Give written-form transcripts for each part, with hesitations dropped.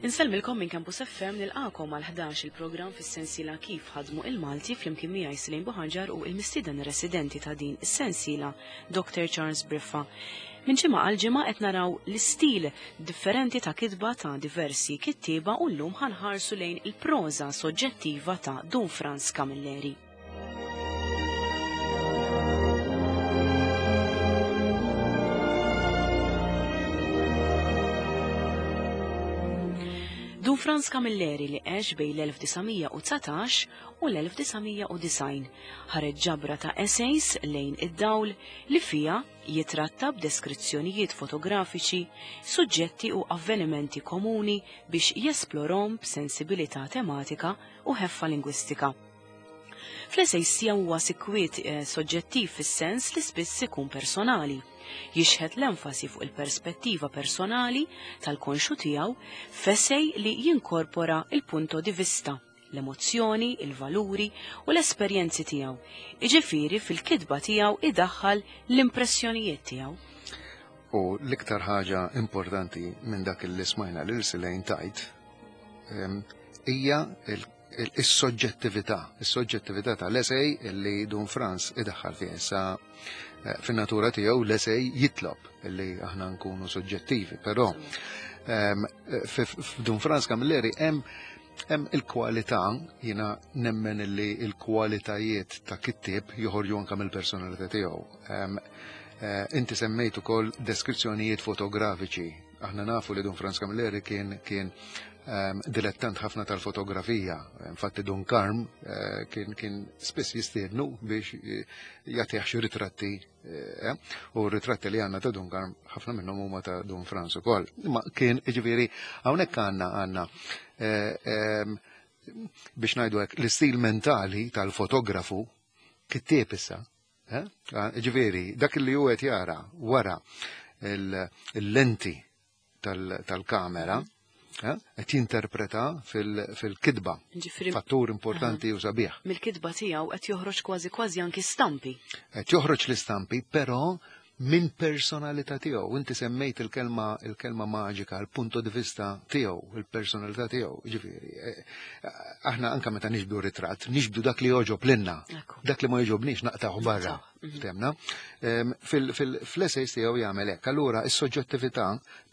Insellmilkom minn Campus FM nilqakom għal 11 il-programm fis-sensiela kif ħadmu il-Malti flimkien miegħi Silejn Buħanġar u il-mistieden residenti ta' din is-sensiela Dr. Charles Briffa. Minn ġimgħa għal ġimgħa qed naraw l-istil differenti ta' kitba ta' diversi kittieba u llum ħanħarsu lejn il-proża soġġettiva ta' Dun Franz Camilleri. Dun Franz Camilleri li għex bejn l-1919 u l-1990 ħareġ ġabra ta' essays lejn id-dawl li fiha jitratta b'deskrizzjonijiet fotografiċi suġġetti u avvenimenti komuni biex jesplorhom b'sensibilità tematika u ħeffa lingwistika. Fl-essays tiegħu huwa sikwiet eh, soġġettiv fis-sens li spiss ikun personali. Jixħet l-enfasi fuq il-perspettiva personali tal-konxu tiegħu f'essay li jinkorpora il-punto di vista, l-emozzjoni, il-valuri u l-esperjenzi tiegħu. Iġifieri fil-kitba tiegħu idaħħal l-impressjonijiet tiegħu. U l-iktar ħaġa importanti minn dak li smajna lil Silejn tajt ehm, hija is-soġġettività, is-soġġettività tal-esej li Dun Franz idaħħal fih. Issa eh, fin-natura tiegħu l-esej jitlob li aħna nkunu soġġettivi, però ehm, f'Dun Franz Camilleri hemm hemm il-kwalità, jiena nemmen li il-kwalitajiet ta' kittieb joħorġu anke mill-personalità tiegħu. Ehm, eh, inti semmejt ukoll deskrizzjonijiet fotografiċi. Aħna nafu li Dun Franz Camilleri kien kien Ehm, dilettant ħafna tal-fotografija. Infatti Dun Karm eh, kien kien spiss jistiednu biex eh, jagħtih xi ritratti eh, u ritratti li għandna ta' Dun Karm ħafna minnhom huma ta' Dun Franz ukoll. Imma kien jiġifieri hawnhekk għandna għandna ehm, biex ngħidu hekk l-istil mentali tal-fotografu kittieb issa. Ġifieri, dak li hu qed jara wara il-lenti tal-kamera eh, qed jinterpreta fil-kitba. Fattur importanti u sabiħ. Mill-kitba tiegħu qed joħroġ kważi kważi anki stampi. Qed joħroġ l-istampi, però minn personalità tiegħu. Inti semmejt il-kelma il-kelma maġika, il-punto di vista tiegħu, il-personalità tiegħu. Ġifieri, eh, aħna anka meta nixbdu ritratt, nixbdu dak li joġob lilna. Dak li ma joġobniex naqtaħu barra. Ftemna. Fl-essays tiegħu jagħmel hekk. Allura is-soġġettività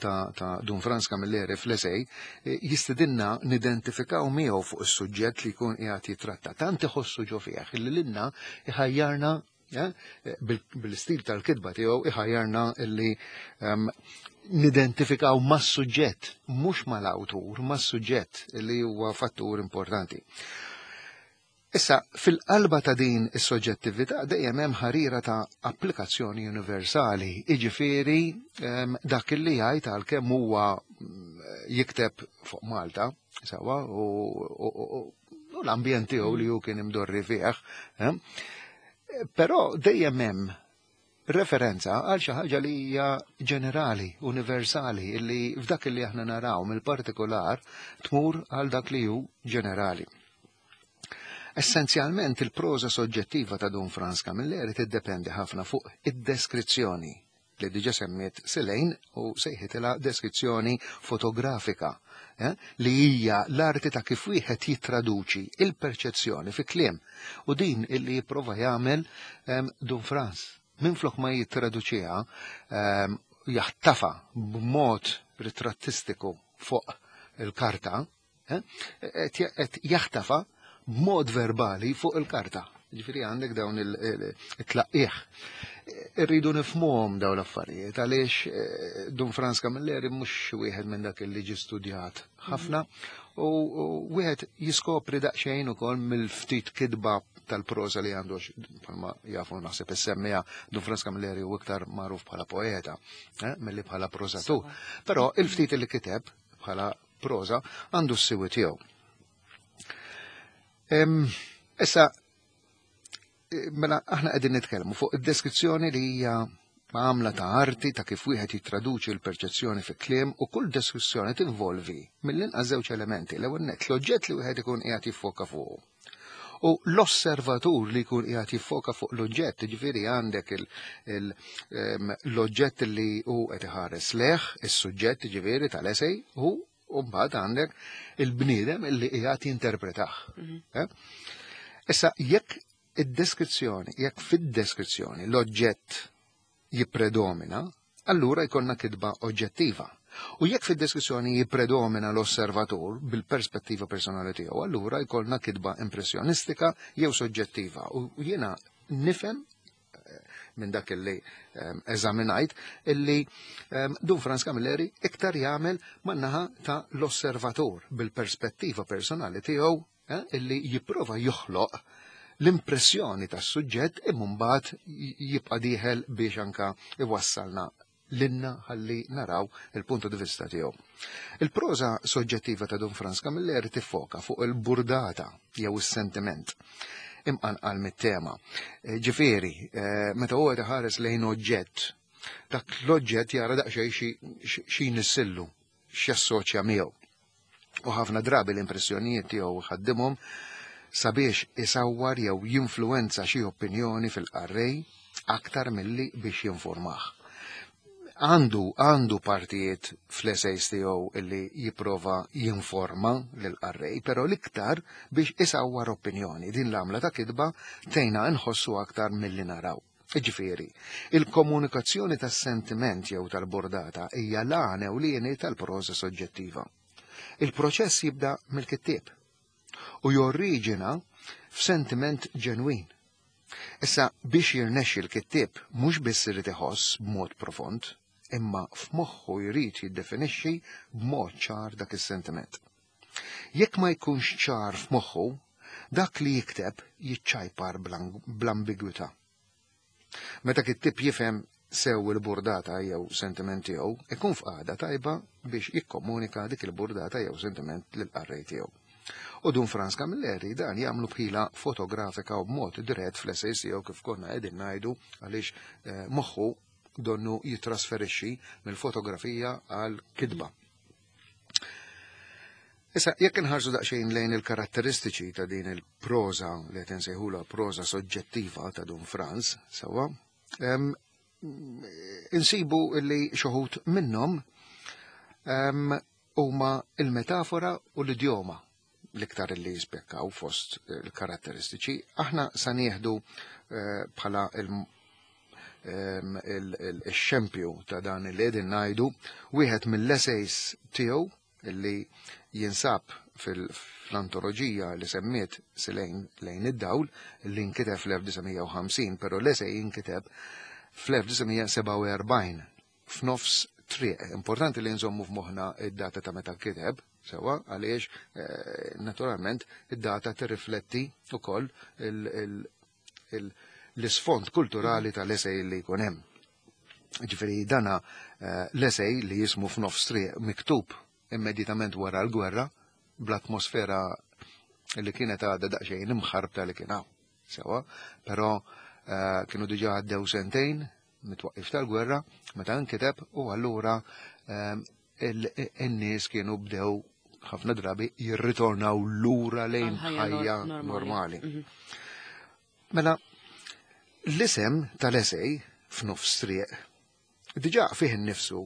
ta' Dun Franz Camilleri fl-essay eh, jistidinna nidentifikaw miegħu fuq is-suġġett li jkun qiegħed jitratta. Tant iħossu ġo fih li lilna iħajjarna eh, bil-istil tal-kitba tiegħu iħajjarna illi nidentifikaw mas-suġġett, mhux mal-awtur, mas-suġġett li huwa fattur importanti. Issa, fil-qalba ta' din is-soġġettività dejjem hemm ħarira ta' applikazzjoni universali, jiġifieri ehm, dak li jgħid għalkemm huwa mm, jikteb fuq Malta, sewwa, u l-ambjent tiegħu li hu kien imdorri fih, ehm, però dejjem hemm referenza għal xi ħaġa li hija ġenerali, universali, li f'dak li aħna naraw mill-partikolar tmur għal dak li hu ġenerali. Essenzjalment il-proża soġġettiva ta' Dun Frans Camilleri tiddependi ħafna fuq id-deskrizzjoni li diġa semmiet Silejn u sejħitilha deskrizzjoni fotografika eh, li hija l-arti ta' kif wieħed jittraduċi il-perċezzjoni fi kliem u din illi jipprova jagħmel ehm, Dun Frans. Minflok ma jittraduċiha ehm, jaħtafa b'mod ritrattistiku fuq il-karta, Eh? Qed jaħtafa b'mod verbali fuq il-karta. Ġifieri għandek dawn il-tlaqqieħ. Irridu nifhmuhom dawn l-affarijiet għaliex eh, Dun Franz Camilleri mhux wieħed minn dak li ġi studjat ħafna u wieħed jiskopri daqsxejn ukoll mill-ftit kitba tal-prosa li għandu bħalma jafu naħseb is-semmija Dun Franz Camilleri u iktar magħruf bħala poeta eh, milli bħala prosatur. Però il-ftit li kiteb bħala proża għandu s-siwi tiegħu. Issa, eh, mela aħna qegħdin nitkellmu fuq id-deskrizzjoni li hija għamla ta' arti ta' kif wieħed jittraduċi l-perċezzjoni fi kliem u kull deskrizzjoni tinvolvi mill-inqas żewġ elementi. L-ewwel nett l-oġġett li wieħed ikun qiegħed jiffoka fuqu. U l-osservatur li jkun qiegħed jiffoka fuq l-oġġett, ġifieri għandek l-oġġett li hu qed iħares leħ, is-suġġett ġifieri tal-esej, hu U mbagħad għandek il-bniedem illi qiegħed jinterpretah. Eh? Issa jekk id-deskrizzjoni, jekk fid-deskrizzjoni l-oġġett jippredomina, allura jkollna kitba oġġettiva. U jekk fid-deskrizzjoni jippredomina l-osservatur bil-perspettiva personali tiegħu, allura jkollna kitba impressjonistika jew soġġettiva. U jiena nifhem minn dak illi eżaminajt illi Dun Frans Camilleri iktar jagħmel man-naħa ta' l-osservatur bil-perspettiva personali tiegħu illi jipprova joħloq l-impressjoni tas-suġġett imma mbagħad jibqa' dieħel biex anka iwassalna lilna ħalli naraw il-punto di vista tiegħu. Il-proża soġġettiva ta' Dun Frans Camilleri tiffoka fuq il-burdata jew is-sentiment imqanqal mit-tema. Ġifieri, meta huwa iħares lejn oġġett, dak l-oġġett jara daqsxejn xi jnissillu, x'jassoċja miegħu. U ħafna drabi l-impressjonijiet tiegħu ħaddimhom sabiex isawwar jew jinfluwenza xi opinjoni fil-qarrej aktar milli biex jinformah. Għandu partijiet fl-essays tiegħu illi jipprova jinforma lill-qarrej, però l-iktar biex isawwar opinjoni. Din l-għamla ta' kitba tgħinna nħossu aktar milli naraw. Ġifieri, il-komunikazzjoni tas-sentiment jew tal-burdata hija l-għan ewlieni tal-proża soġġettiva. Il-proċess jibda mill-kittieb u jorriġina f'sentiment ġenwin. Issa biex jirnexxi l-kittieb mhux biss irid iħoss b'mod profond, imma f'moħħu jrid jiddefinixxi b'mod ċar dak is-sentiment. Jekk ma jkunx ċar f'moħħu, dak li jikteb jiċċajpar bl-ambigwità. Meta kittieb jifhem sew il-burdata jew sentiment tiegħu, ikun f'qagħda tajba biex jikkomunika dik il-burdata jew sentiment lill-qarrej tiegħu. U Dun Frans Camilleri dan jagħmlu b'ħila fotografika u b'mod dirett fl-essays tiegħu kif konna qegħdin ngħidu għaliex moħħu donnu jitrasferixxi mill-fotografija għal kitba. Issa, jekk inħarsu daqsxejn lejn il-karatteristiċi ta' din il-proża li qed insejħulha proża soġġettiva ta' Dun Frans, sewwa, insibu li xi wħud minnhom huma il-metafora u l-idjoma l-iktar li jispikkaw fost il-karatteristiċi. Aħna sa nieħdu bħala il-xempju ta' dan li qegħdin ngħidu wieħed mill-essays tiegħu li jinsab fl-antoloġija li semmiet Silejn lejn id-dawl li nkiteb fl-1950, però l-essay inkiteb fl-1947 f'nofs triq. Importanti li nżommu f'moħħna id-data ta' meta nkiteb, sewwa, għaliex naturalment id-data tirrifletti wkoll l-isfond kulturali tal-essay li jkun hemm. Ġifieri dana l-essay li jismu f'nofs triq miktub immedjatament wara l-gwerra bl-atmosfera li kienet għadha daqsxejn imħarbta li kien hawn. Sewwa, però kienu diġà għaddew sentejn mit-twaqqif tal-gwerra meta nkiteb u allura in-nies kienu bdew ħafna drabi jirritornaw lura lejn ħajja normali. Mela, l-isem tal-esej f'nofs triq diġà fih innifsu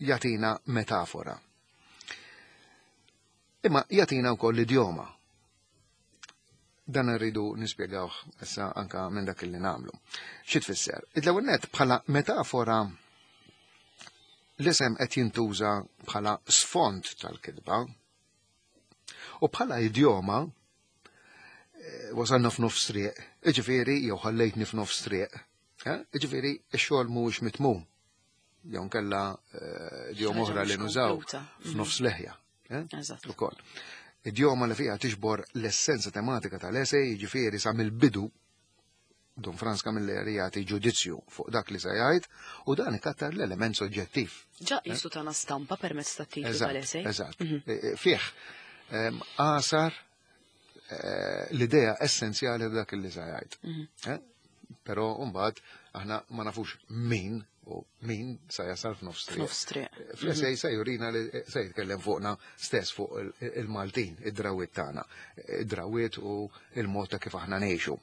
jagħtina metafora. Imma jagħtina wkoll l-idjoma. Dan rridu nispjegawh issa anka minn dak li nagħmlu. Xi tfisser? Id-ewwel nett bħala metafora l-isem qed jintuża bħala sfond tal-kitba u bħala idjoma wasalna f'nofs triq, iġifieri jew ħallejtni f'nofs triq, iġifieri x-xogħol mhuwiex mitmum. Jew nkella idjoma oħra li nużaw f'nofs leħja. Ukoll. Idjoma li fiha tiġbor l-essenza tematika tal-esej, jiġifieri sa mill-bidu Dun Frans Camilleri jagħti ġudizzju fuq dak li se jgħid u dan ikattar l-element soġġettiv. Ġa jisu tana stampa permezz ta' titlu tal-esej. Eżatt. Fih għasar l-idea essenzjali dak li se jgħid. Però mbagħad aħna ma nafux min u min sa jasal f'nofs triq. F'nofs triq. Fl-esej se jurina li se jitkellem fuqna stess fuq il-Maltin, id-drawiet tagħna, id-drawiet u il-mod ta' kif aħna ngħixu.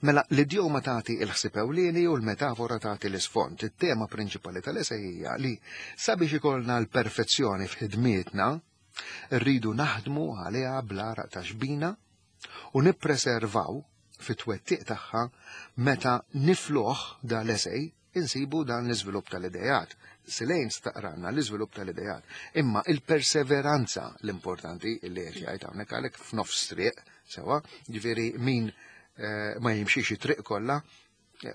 Mela l-idjoma tagħti l-ħsieb ewlieni u l-metafora tagħti l-isfond. It-tema prinċipali tal-esej hija li sabiex ikollna l-perfezzjoni f'ħidmietna, rridu naħdmu għaliha bl-għaraq ta' xbina u nippreservaw fit-twettiq tagħha meta nifluh da l-esej insibu dan l-iżvilupp tal-idejat. Silejn staqranna l-iżvilupp tal-idejat. Imma il-perseveranza l-importanti li qed jgħid hawnhekk għalhekk f'nofs triq, sewa, ġifieri min ma jimxix it-triq kollha,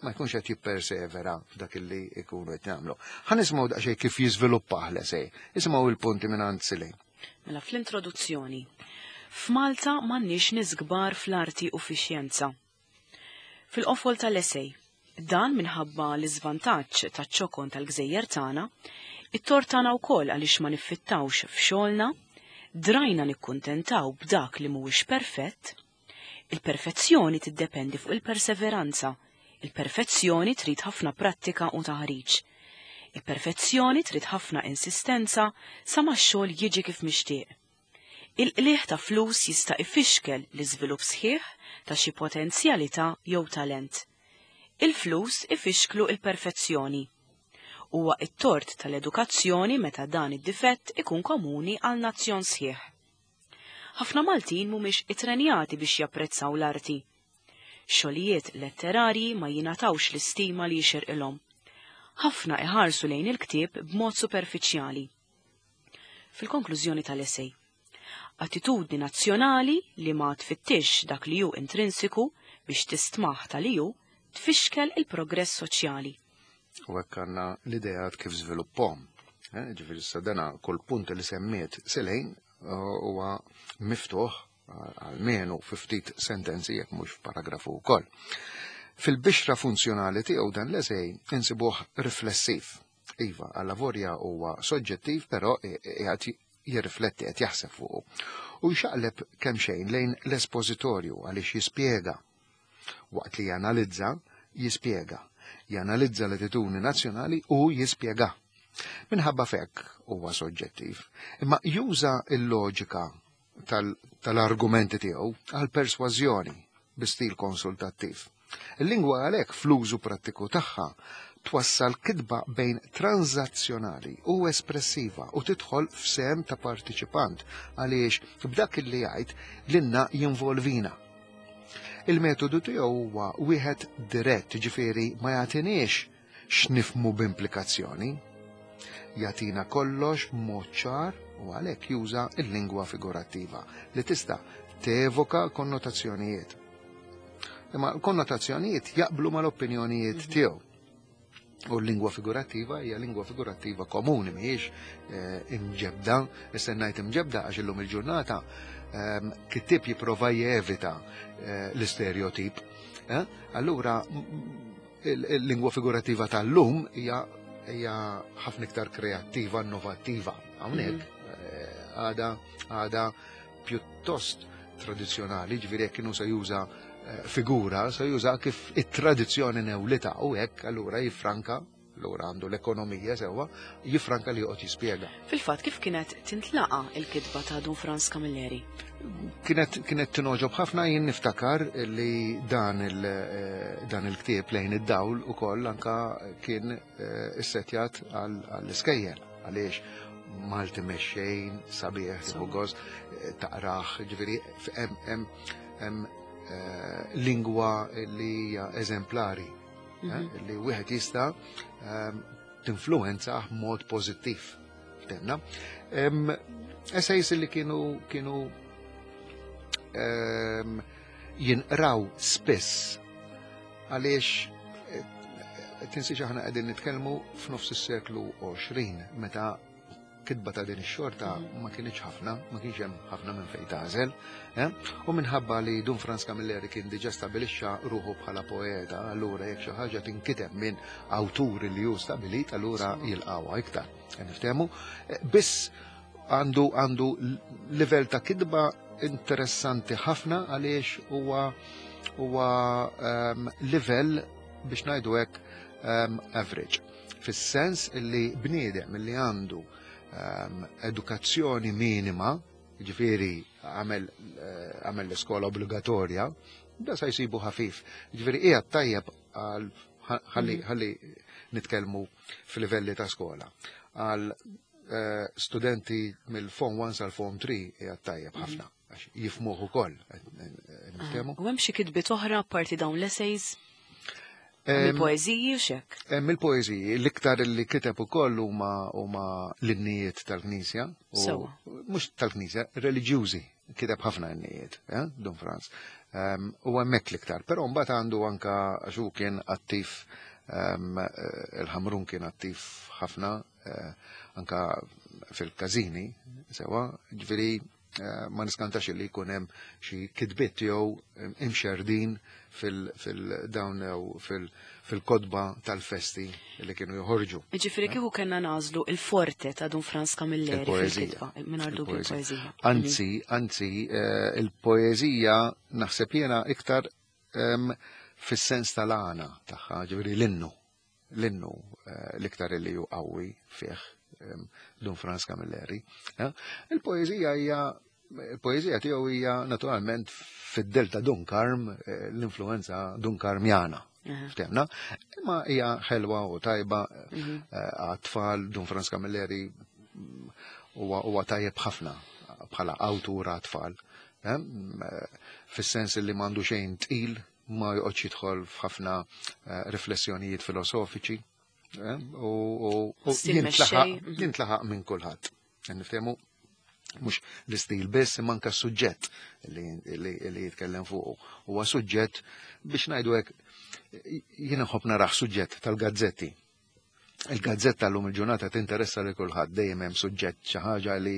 ma jkunx qed jippersevera f'dak li jkunu qed jagħmlu. Ħa nisimgħu daqsxejn kif jiżviluppah l-esej. Isimgħu il-punti minn għand Silejn. Mela fl-introduzzjoni. F'Malta m'għandniex nies kbar fl-arti u fix-xjenza. Fil-qofol tal-esej, dan minħabba l-iżvantaġġ taċ-ċokon tal-gżejjer tagħna, it-tort tagħna wkoll għaliex ma niffittawx f'xogħolna, drajna nikkuntentaw b'dak li mhuwiex perfett. Il-perfezzjoni tiddependi fuq il-perseveranza. Il-perfezzjoni trid ħafna prattika u taħriġ. Il-perfezzjoni trid ħafna insistenza sa ma x-xogħol jiġi kif mixtieq. Il-qligħ ta' flus jista' ifixkel l-iżvilupp sħiħ ta' xi potenzjalità jew talent. Il-flus ifixklu il-perfezzjoni. Huwa it-tort tal-edukazzjoni meta dan id-difett ikun komuni għal nazzjon sħiħ. Ħafna Maltin mhumiex ittrenjati biex japprezzaw l-arti. Xogħlijiet letterarji ma jingħatawx l-istima li jixirqilhom. Ħafna iħarsu lejn il-ktieb b'mod superfiċjali. Fil-konklużjoni tal-esej, attitudni nazzjonali li ma tfittix dak li hu intrinsiku biex tistmaħ tal hu tfixkel il-progress soċjali. U hekk għandna l-ideat kif żviluppahom. Ġifieri issa dana kull punt li semmiet Silejn huwa miftuħ għalmenu fi ftit sentenzi jekk mhux f'paragrafu wkoll. Fil-bixra funzjonali tiegħu dan l-esej insibuh riflessiv. Iva, għalla vorja huwa soġġettiv, però qiegħed jirrifletti, qed jaħseb fuqu. U jxaqleb kemm xejn lejn l-espożitorju għaliex jispjega. Waqt li janalizza, jispjega. Janalizza l-attitudni nazzjonali u jispjega. Minħabba fekk huwa soġġettiv, imma juża l-loġika tal-argumenti tiegħu għal persważjoni bi stil konsultattiv. Il-lingwa għalhekk fl-użu prattiku tagħha twassal kitba bejn transazzjonali u espressiva u tidħol f'sehem ta' partiċipant għaliex b'dak li jgħid lilna jinvolvina. Il-metodu tiegħu huwa wieħed dirett, ġifieri ma jagħtiniex x'nifmu b'implikazzjoni. Jagħtina kollox b'mod ċar u għalhekk juża l-lingwa figurattiva li tista' tevoka konnotazzjonijiet. Imma l-konnotazzjonijiet jaqblu mal-opinjonijiet tiegħu. U l-lingwa figurattiva hija lingwa figurattiva komuni, mhijiex imġebda. Issa ngħid imġebda għax illum il-ġurnata kittieb jipprova jevita l-istereotip. Allura il-lingwa figurattiva tal-lum hija ħafna iktar kreattiva, innovattiva. Hawnhekk għada pjuttost tradizzjonali, ġifieri jekk kienu se juża figura, se juża kif it-tradizzjoni newlita u hekk allura jiffranka, allura għandu l-ekonomija sewwa, jiffranka li joqgħod jispjega. Fil-fatt kif kienet tintlaqa il-kitba ta' Dun Frans Camilleri? Kienet tinogħġob ħafna. Jien niftakar li dan il-ktieb Lejn id-Dawl ukoll anka kien issetjat għall-iskejjel, għaliex Malti mexxejn, sabiħ, tieħu gost, taqraħ, ġifieri hemm lingwa li hija eżemplari, li wieħed jista' tinfluwenza b'mod pożittiv. Tenna. Essays li kienu jinqraw spiss għaliex tinsiex aħna qegħdin nitkellmu f'nofs is-seklu 20 meta kitba ta' din ix-xorta ma kienx ħafna, ma kienx hemm ħafna minn fejn tagħżel, U minħabba li Dun Frans Camilleri kien diġà stabilixxa ruħu bħala poeta, allura jekk xi ħaġa tinkiteb minn awtur li hu stabilit, allura jilqawha iktar. Niftehmu, biss għandu livell ta' kitba interessanti ħafna għaliex huwa livell biex ngħidu hekk average. Fis-sens li bniedem li għandu edukazzjoni minima, ġifieri għamel l-iskola obbligatorja, da sa jsibu ħafif. Ġifieri qiegħed tajjeb għal ħalli ħalli nitkellmu fil-livelli ta' skola. Għal studenti mill-Form 1 sal-Form 3 qiegħed tajjeb ħafna għax jifhmuh ukoll. Niftehmu? U hemm xi kitbiet oħra apparti dawn l-essays? Il-poeżiji u xek? Hemm il-poeżiji, l-iktar li kiteb ukoll huma l-innijiet tal-Knisja. Sewwa. Mhux tal-Knisja, reliġjużi. Kiteb ħafna innijiet, Dun Franz. U hemmhekk l-iktar, però mbagħad għandu anka għax hu kien attiv, il-Ħamrun kien attiv ħafna anka fil-każini, sewa, ġifieri ma niskantax li jkun hemm xi kitbiet tiegħu imxerdin fil-dawn jew fil-kotba tal-festi li kienu joħorġu. Ġifieri kieku kellna nagħżlu il-forte ta' Dun Frans Camilleri Il-poeżija. fil-kitba, mingħajr dubju Il-poeżija. il-poeżija. Anzi, il-poeżija naħseb jiena iktar fis-sens tal-għana tagħha, ġifieri l-innu. L-innu l-iktar li hu qawwi fih Dun Frans Camilleri. Il-poeżija hija, il-poeżija tiegħu hija naturalment fid-delta Dun Karm, l-influenza Dun Karmjana. Ftemna, imma hija ħelwa u tajba għat-tfal. Dun Frans Camilleri huwa tajjeb ħafna bħala awtur għat-tfal. Fis-sens li m'għandu xejn tqil, ma joqgħodx jidħol f'ħafna riflessjonijiet filosofiċi, u Stil mexxej. jintlaħaq minn kulħadd. Niftehmu mhux l-istil biss, imma anke s-suġġett li jitkellem fuqu. Huwa suġġett biex ngħidu hekk, jien nħobb naraħ suġġett tal-gazzetti. Il-gazzetta llum il-ġurnata tinteressa lil kulħadd, dejjem hemm suġġett xi ħaġa li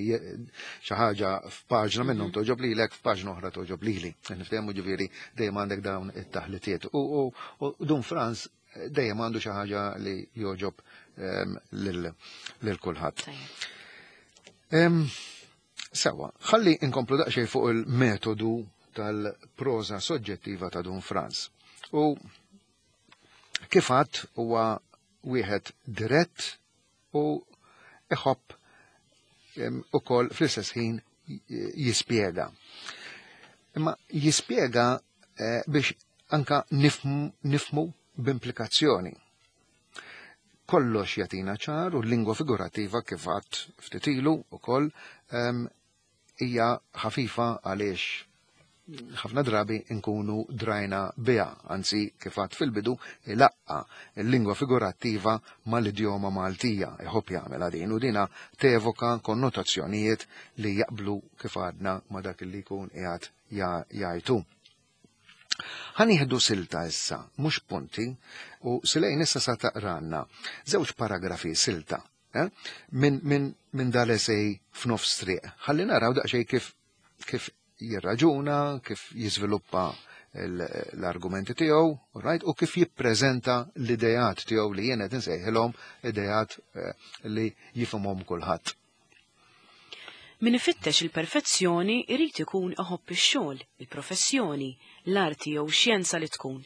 xi ħaġa f'paġna minnhom toġob lilek, f'paġna oħra toġob lili. Niftehmu ġifieri dejjem għandek dawn it-taħlitiet. U Dun Frans dejjem għandu xi ħaġa li joġob lil kulħadd. Sewa, ħalli inkomplu daqsxejn fuq il-metodu tal-proża soġġettiva ta' Dun Frans. U kif għadt huwa wieħed dirett u iħobb ukoll fl-istess ħin jispjega. Imma jispjega biex anka nifmu b'implikazzjoni. Kollox jatina ċar u l-lingwa figurattiva kif għadt ftit ilu ukoll hija ħafifa għaliex ħafna drabi nkunu drajna biha, anzi kif għadt fil-bidu ilaqqa l-lingwa figurattiva mal-idjoma Maltija, iħobb jagħmel din u dina tevoka konnotazzjonijiet li jaqblu kif għadna ma dak li jkun qiegħed jgħidu. Ħanieħdu silta issa, mhux punti, u Silejn issa sa taqranna żewġ paragrafi silta minn dal-esej f'nofs triq. Ħalli naraw daqsxejn kif jirraġuna, kif jiżviluppa l-argumenti tiegħu, right, u kif jippreżenta l-idejat tiegħu li jien qed insejħilhom idejat li jifhimhom kulħadd. Min ifittex il-perfezzjoni irid ikun iħobb ix-xogħol, il-professjoni, l-arti jew xjenza li tkun.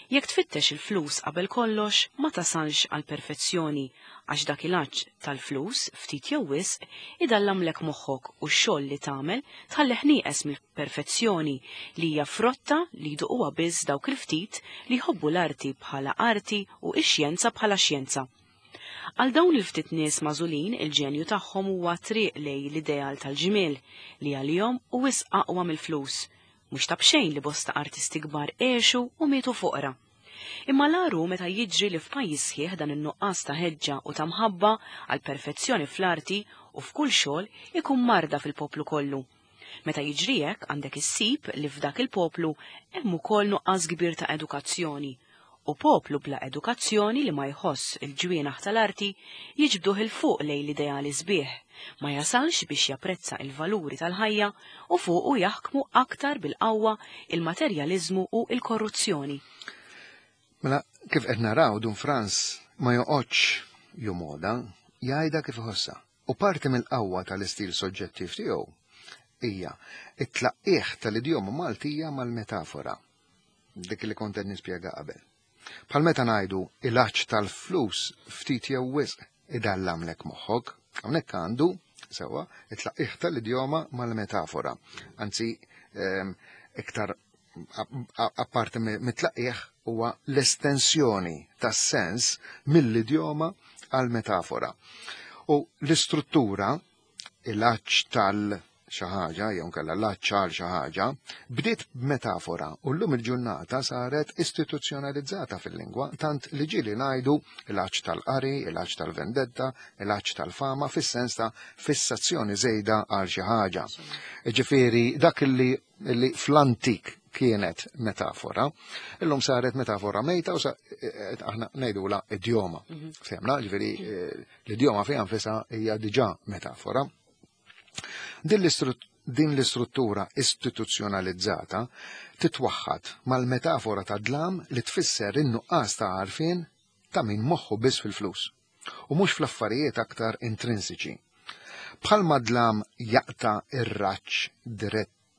Jekk tfittex il-flus qabel kollox, ma tasalx għall-perfezzjoni, għax dak il-għatx tal-flus ftit jew wisq idallamlek moħħok u x-xogħol li tagħmel tħallih nieqes mill-perfezzjoni li hija frotta li jduquha biss dawk il-ftit li jħobbu l-arti bħala arti u x-xjenza bħala xjenza. Għal dawn il-ftit nies magħżulin, il-ġenju tagħhom huwa triq lej l-ideal tal-ġmiel li għalihom u wisq aqwa mill-flus. Mhux ta' b'xejn li bosta artisti kbar għexu u mietu foqra. Imma l-għaru meta jiġri li f'pajjiż sħiħ dan in-nuqqas ta' ħeġġa u ta' mħabba għal perfezzjoni fl-arti u f'kull xogħol ikun marda fil-poplu kollu. Meta jiġri hekk għandek issib li f'dak il-poplu hemm ukoll nuqqas kbir ta' edukazzjoni. U poplu bla edukazzjoni li ma jħoss il-ġwienaħ tal-arti jiġbduh il fuq lejn l-ideali sbieħ, ma jasalx biex japprezza il-valuri tal-ħajja u fuqu jaħkmu aktar bil-qawwa il-materjaliżmu u il-korruzzjoni. Mela, kif qed naraw Dun Frans ma joqgħodx jumoda, jgħidha kif iħossha. U parti mill-qawwa tal-istil soġġettiv tiegħu hija it-tlaqqieħ tal-idjoma Maltija mal-metafora, dik li kont qed nispjega qabel. Bħal meta ngħidu il-għatx tal-flus ftit jew wisq idallamlek moħħok, hawnhekk għandu sewwa it-tlaqqieħ tal-idjoma mal-metafora. Anzi, iktar Apparti mit-tlaqqieħ huwa l-estensjoni tas-sens mill-idjoma għal metafora. U l-istruttura, il-għatx tal xi ħaġa jew nkella l-għatx għal xi ħaġa, bdiet b'metafora u llum il-ġurnata saret istituzzjonalizzata fil-lingwa tant li ġieli ngħidu l-għatx tal-qari, il-għatx tal-vendetta, il-għatx tal-fama fis-sens ta' fissazzjoni żejda għal xi ħaġa. Ġifieri dak li fl-antik kienet metafora, illum saret metafora mejta u aħna ngħidula idjoma. Fehmna, ġifieri l-idjoma fiha nfisha hija diġà metafora. Din l-istruttura istituzzjonalizzata titwaħħad mal-metafora ta' dlam li tfisser in-nuqqas ta' għarfien ta' min moħħu biss fil-flus u mhux fl-affarijiet aktar intrinsiċi. Bħalma dlam jaqta'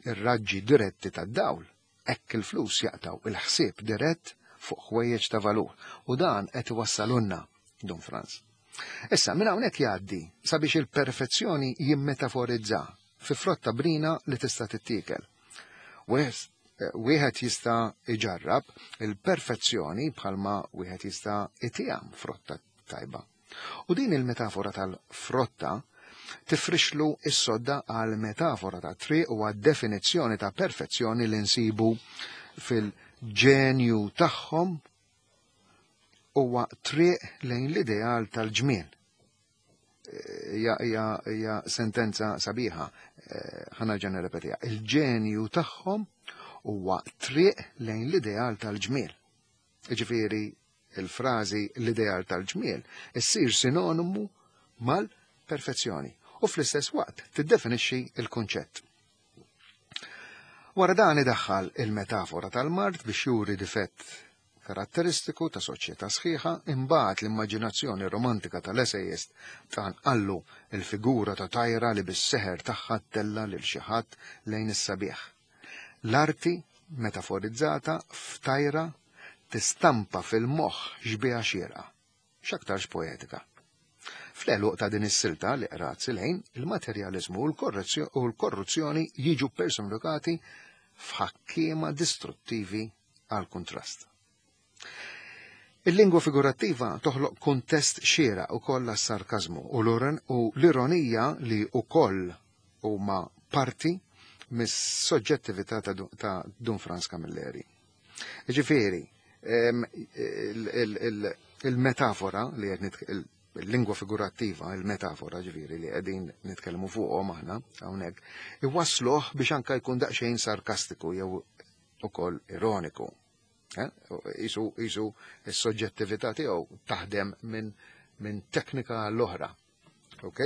ir-raġġi diretti tad-dawl, hekk il-flus jaqtaw il-ħsieb dirett fuq ħwejjeġ ta' valur u dan qed iwassalunna Dun Franz. Issa minn hawnhekk jgħaddi sabiex il-perfezzjoni jimmetaforizza fi frotta brina li tista' tittiekel. Wieħed jista' iġarrab il-perfezzjoni bħalma wieħed jista' itiegħem frotta tajba. U din il-metafora tal-frotta tifrixlu s-sodda għal metafora ta' triq u għad definizzjoni ta' perfezzjoni li nsibu fil-ġenju tagħhom huwa triq lejn l-ideal tal-ġmiel. Hija sentenza sabiħa, ħa nerġa' nirrepetiha. Il-ġenju tagħhom huwa triq lejn l-ideal tal-ġmiel. Ġifieri il-frażi l-ideal tal-ġmiel issir sinonimu mal-perfezzjoni u fl-istess waqt tiddefinixxi il-kunċett. Wara dan idaħħal il-metafora tal-mard biex juri difett karatteristiku ta' soċjetà sħiħa, imbagħad l-immaġinazzjoni romantika tal-essayist tqanqallu il-figura ta' tajra li bis-seħer tagħha ttella' lil xi ħadd lejn is-sabiħ. L-arti metaforizzata f'tajra tistampa fil-moħħ xbieha xierqa, x'aktarx poetika. Fl-għeluq ta' din is-silta li qrat Silejn, il-materjaliżmu u l-korruzzjoni jiġu personifikati f'ħakkiema distruttivi għal kuntrast. Il-lingwa figurattiva toħloq kuntest xieraq ukoll għas-sarkażmu u l-ironija li wkoll huma parti mis-soġġettività ta' Dun Frans Camilleri. Ġifieri, il-metafora li qed il-lingwa figurattiva, il-metafora ġifieri li qegħdin nitkellmu fuqhom aħna hawnhekk, iwassluh biex anka jkun daqsxejn sarkastiku jew ukoll ironiku. Isu isu s-soġġettività tiegħu taħdem minn teknika l-oħra. Ok?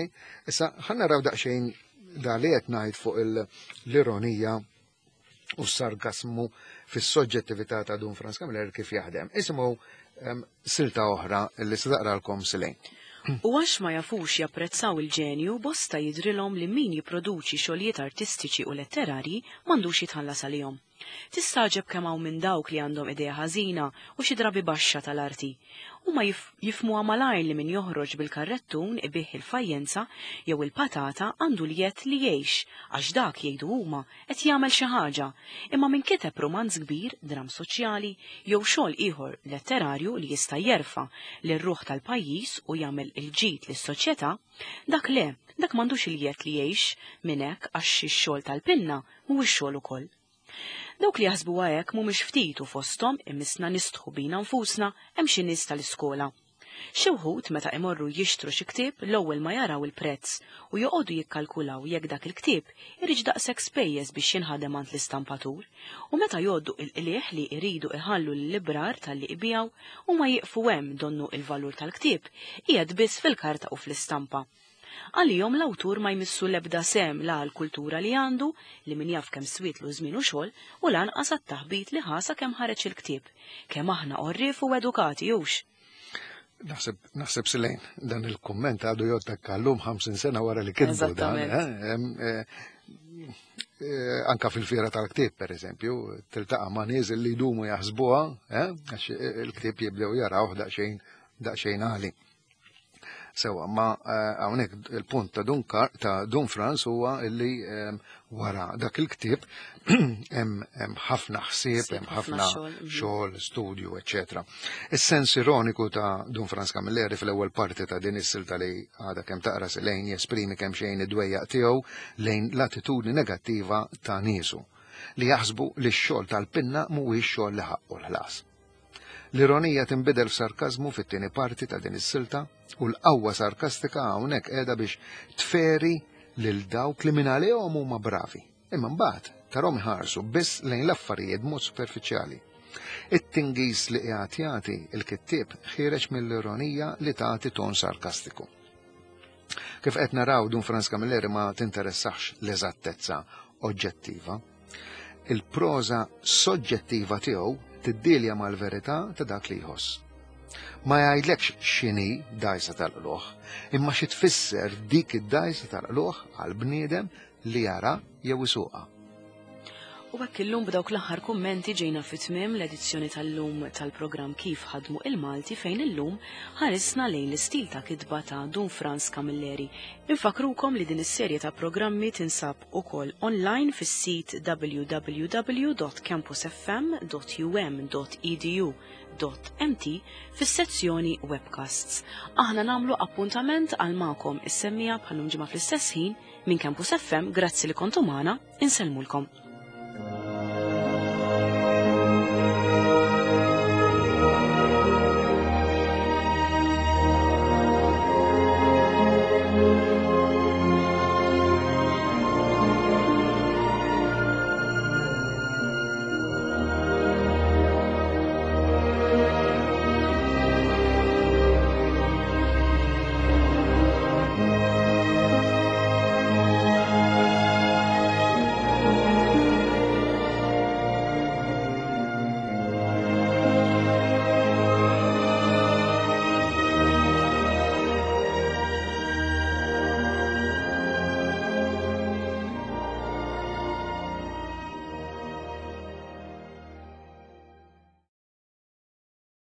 Issa ħa naraw daqsxejn da li qed ngħid fuq l-ironija u s-sarkasmu fis-soġġettività ta' Dun Frans Camilleri kif jaħdem. Isimgħu silta oħra li se taqralkom Silejn. U għax ma jafux japprezzaw il-ġenju, bosta jidrilhom li min jipproduċi xogħlijiet artistiċi u letterarji m'għandux jitħallas għalihom. Tistagħġeb kemm hawn minn dawk li għandhom idea ħażina u xi drabi baxxa tal-arti. Huma jifhmuha malajr li min joħroġ bil-karrettun ibigħ il-fajjenza jew il-patata għandu l-jedd li jgħix għax dak jgħidu huma qed jagħmel xi ħaġa, imma min kiteb rumanz kbir, dramm soċjali jew xogħol ieħor letterarju li jista' jerfa' lir-ruħ tal-pajjiż u jagħmel il-ġid lis-soċjetà, dak le, dak m'għandux il-jedd li jgħix minn hekk għax ix-xogħol tal-pinna mhuwiex xogħol ukoll. Dawk li jaħsbuha hekk mhumiex ftit u fosthom imissna nistħu bina nfusna hemm xi nies tal-iskola. Xi wħud meta imorru jixtru xi ktieb l-ewwel ma jaraw il-prezz u joqogħdu jikkalkulaw jekk dak il-ktieb iridx daqshekk spejjeż biex jinħadem għand l-istampatur u meta jgħoddu il-qligħ li jridu iħallu lil-librar talli ibiegħu huma jieqfu hemm donnu il-valur tal-ktieb qiegħed biss fil-karta u fl-istampa. Għalihom l-awtur ma jmissu l-ebda sehem la għall-kultura li għandu, li min jaf kemm swietlu żmien u xogħol, u lanqas għat-taħbit li ħa sakemm ħareġ il-ktieb. Kemm aħna għorrief u edukati, hux? Naħseb, naħseb Silejn, dan il-kumment għadu jgħod llum 50 sena wara li kitbu dan. Anka fil-fiera tal-ktieb, per eżempju, tiltaqa' ma' nies li jdumu jaħsbuha, għax il-ktieb jibdew jarawh daqsxejn daqsxejn għali. Sewa, ma eh, hawnhekk il-punt ta' Dun ta' Dun Franz huwa illi ehm, wara dak il-ktieb hemm ħafna ħsieb, hemm ħafna mhm. xogħol, studju, eċetera. Is-sens ironiku ta' Dun Franz Camilleri fl-ewwel parti ta' din is-silta li għadha kemm taqra lejn jesprimi kemm xejn id-dwejjaq tiegħu lejn l-attitudni negattiva ta' niesu li jaħsbu li x-xogħol tal-pinna mhuwiex xogħol li ħaqqu l-ħlas. L-ironija tinbidel f'sarkażmu fit-tieni parti ta' din is-silta u l-qawwa sarkastika hawnhekk qiegħda biex tferi lil dawk li minn għalihom huma bravi. Imma mbagħad tarhom iħarsu biss lejn l-affarijiet b'mod superfiċjali. It-tingiż li qiegħed jagħti l-kittieb ħiereġ mill-ironija li tagħti ton sarkastiku. Kif qed naraw Dun Franz Camilleri ma tinteressax l-eżattezza oġġettiva. Il-proża soġġettiva tiegħu tiddilja mal-verità ta' dak li jħoss. Ma jgħidlekx x'inhi dgħajsa tal-qlugħ, imma xi tfisser dik id-dgħajsa tal-qlugħ għal bniedem li jara jew isuqha. U hekk illum b'dawk l-aħħar kummenti ġejna fi tmiem l-edizzjoni tal-lum tal-programm Kif Ħadmu il-Malti fejn illum ħarisna lejn l-istil ta' kitba ta' Dun Frans Camilleri. Infakkrukom li din is-serje ta' programmi tinsab ukoll online fis-sit www.campusfm.um.edu.mt fis-sezzjoni Webcasts. Aħna nagħmlu appuntament għal magħkom is-semmiegħa bħal-lum ġimgħa fl-istess ħin minn Campus FM, grazzi li kontu magħna, insellmulkom.